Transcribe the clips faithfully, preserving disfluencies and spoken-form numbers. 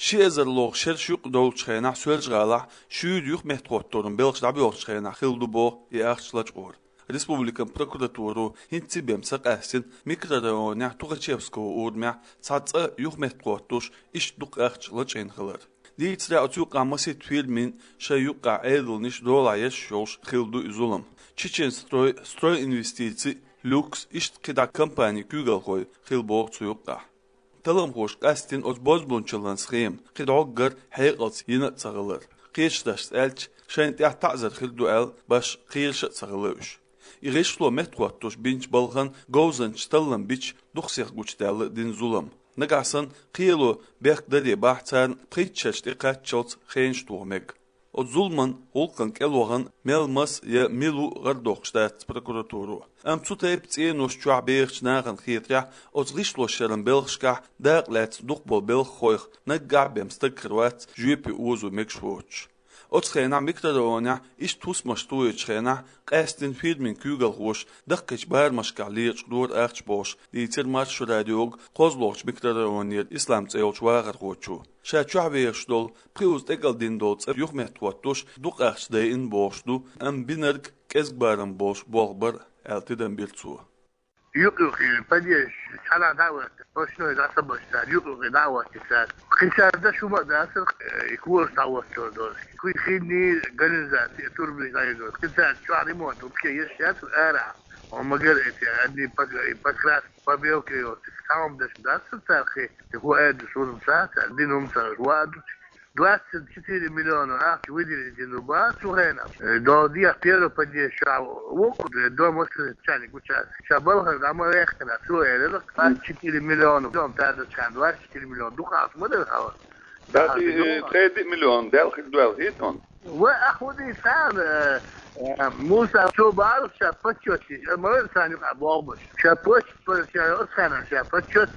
Ши эзар лоха шераш юкъа долчу хенахь Соьлжа-ГӀалахь шуьйра юхаметтахӀотторан белхаш дӀабоьлхучу хенахь хилла ду боху и ахча лачкъор. Республикан прокуратуро хӀинцца бен ца къаьстина микрорайонехь Тухачевского урамехь цхьа цӀа юхаметтахӀоттош иштта дукха ахча лачкъийна хилар. Дийцарехь, оцу юкъахь масийтта фирмийн шайн юккъехь Ӏедалнаш долахь еш йолуш хилла ду и зулам. Чеченстрой, Стройинвестиции, Люкс, иштта кхидӀа компанийн куьйгалхой хилла боху цу юккъехь. Талламхоша къаьстина оцу бозбуунчаллин схема кхин дӀоггара хьекъалца йина а ца хилар. Кхечу дашца аьлча, шайна тӀехь таӀзар хир ду аьлла, башха кхераш а ца хилла уьш. И гӀишло меттахӀоттош бинчу балхана говзанчаша таллам бича дукха сиха гучудаьлла дина зулам. Нагахь санна кхело бехк даре бахь, царна пхийтта шарчу тӀе кхаччалц хенаш тоха мега. Оцу зуламан гӀуллакхан кӀел вахана мел маса я мила ву гӀардоккхуш дац прокуратуро. Амма цу тайпа цӀенош чохь бехачу нахана хетарехь, оцу гӀишлошъяран белхашкахь дакъа лаьцна дукха болу белхахойх наггахь бен стаг хир вац жоьпе озо мегаш воцуш. Оцу хенахь микрорайонехь иштта хӀусамаш тоечу хенахь къаьстина фирмийн куьйгалхоша даккхийчу барамашкахь лечкъадора ахча бохуш, дийцира Маршо радиога кхозлагӀчу микрорайонера Ислам цӀе йолчу вахархочо. Ша чохь вехаш долу, пхиуза тӀекӀалдина долу цӀа юхаметтахӀоттош дукха ахча дайина бохуш ду, амма бинарг кӀезиг барам болуш болх бара аьлла тидам бира цо. Юкъ-юкъе подъезд цхьана дӀа а ваьлла, машиной дӀа ца баьлла цара, юкъ-юкъе дӀа а ваьлла цара. Кхин цара даш хӀума а дацара, э, и кораш дӀахӀоттор долуш. Кхин хинний канализаци, турбанаш дӀайина долуш. Кхин цара чохь ремонт вообще еш яцара арахь. Он магар эти, одни пок-, и покраска, побелка йоцу, цхьа хӀума даш дацара цара кхин. Тхо аьлла, суна ца, цара дина хӀума ца, ваьлла. Двадцать четыре миллиона ахча выделить дина бац цу хенахь. Э, до дья первый подъезд ша вокху, э, дом воспитания гуча. Ша балхара дӀа ма вехкина, цо элира, двадцать четыре миллиона, дом тадачан, двадцать четыре миллиона. Дукха ахча ма дара хьала. Да, да, и, э, дукха. Ткъе диъ миллион дел хир дуьлла хӀитон. Ва ахуди сан, э, э, Муса, цо бара ша почёт, э, ма вер сан юкъа бохбаш. Ша почёт, ша, ша, ша почёт.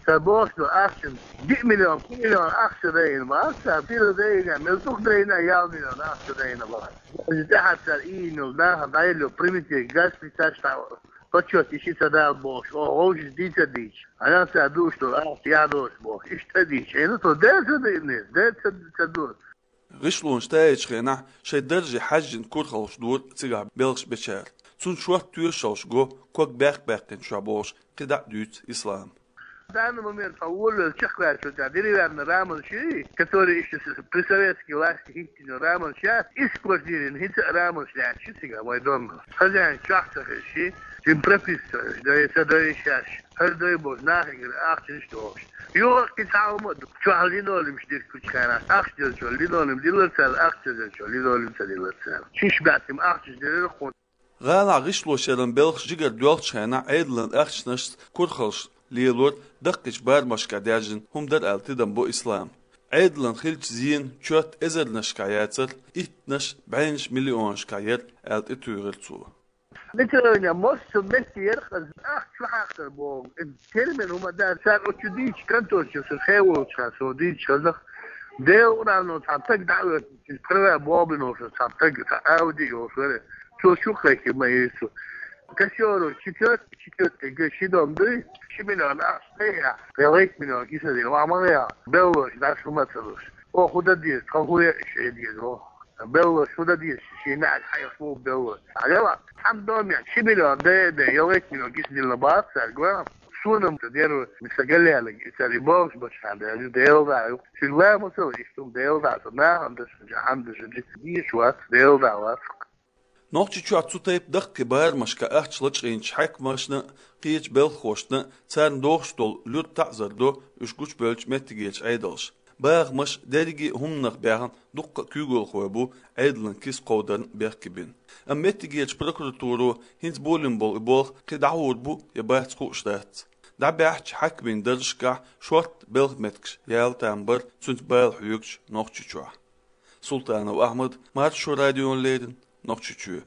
Сан бохуш ду ахча, диъ миллион, кхо миллион ахча дайна бац, сан пила дайна, мел дукха дайна, ял миллион ахча дайна бац. Даже тӀаьхьа цара иймил, наха дӀаелло, примите, газ приташ там, почёт, иши ца дала бохуш, о, вовши дийца дийч. Ана ца душ ду, ахча ядош бохуш, иштта дийч. Эна то дер ца дайна, дер ца, ца ду. ГӀишлонаш таечу хенахь шайн дарже хьаьжжина курхалш дора цигахь белхаш бечара. Цунна шорта тоьшалш го, ког баьккхина чохь бохуш, кхидӀа а дуьйцу Ислам. В данный момент по воле чехвачу, да, деревянный раман ши, который ещё с-, при советской власти хиттина раман ша, иск квартирин хица раман шляхи, цигахь мой дом. Хозяин чохь ца хир ши, им прописка, да, это да и щас. ХӀара дай бохуш, нахе гира ахча иштта бохуш. Юха кхин цхьа хӀума а ду. Чохь линолеум дира кхучу хенахь. Ахча делчо линолеум дилла цара, ахча делчо линолеум ца дилла цара. Шиш баьттим ахча дерира кхунна. ГӀалахь гӀишлошъяран белхаш жигара доьлхучу хенахь Ӏедалан ахчанашца курхалш лелор даккхийчу барамашкахь даьржина хӀума дара аьлла тидам бо Ислам. Ӏедалан хиллачу зенан чот эзарнашкахь яцара, иттанаш, бӀеннаш миллионашкахь яра аьлла тӀетуьйхира цо. Митроня, мосту метте яркъа ахча чу хьакхар боху. Термин хӀума дац, цара оцу дийчу конторчу со хеволчу хан, со дийчу хазах. Делан урамно цхьа таг дӀа а оьцу, права бобино со цхьа таг, цхьа Ауди йолуш вара. Цо чу кхайкхи ма йийцу. Кассёру четвёртый, четвёртый ге ши дом дуй, ши миллион ахча тӀе я. Ялхайтта миллион киса дина, ма ма я. Беллош, даш хӀума ца луш. О, худа деза, тхан хӀу я, ше деза, о. Белло шуда дийш, ши наьга хьайх бу белло. Ала, хьан дом я, ши миллион де, де, ялхайтта миллион гис дилла бац, цаьрга. Суна-м ца деру, миса галлялаг, и цаьрга бохуш бачхьан, де, де, де, шуьга ла ма ца вай, иштта де, де, со нахана даш, хьан даш, диш вац, де, де, вац. Нохчийчохь цу тайпа даккхий барамашка ахча лачкъийначу хьаькамашна а, кхечу белхахошна а царна дохуш долу луьра таӀзар до уьш гучубевллачу меттигерчу Ӏедалша. Бахамаш дерриге а хӀуманах баьхна дуккха а куьйгалхой бу Ӏедалан киса кховдарна бехке бина. Амма меттигерчу прокуратуро хӀинца болийна болу и болх кхин дӀахьур бу я бац хууш дац. ДӀабаьхьачу хьаькамийн даржашкахь шортта белхан меттигаш яла там бара цуьнца бала хьоьгучу Нохчийчохь. Султанов Ахьмад, Маршо радиона леррина, Нохчийчоь.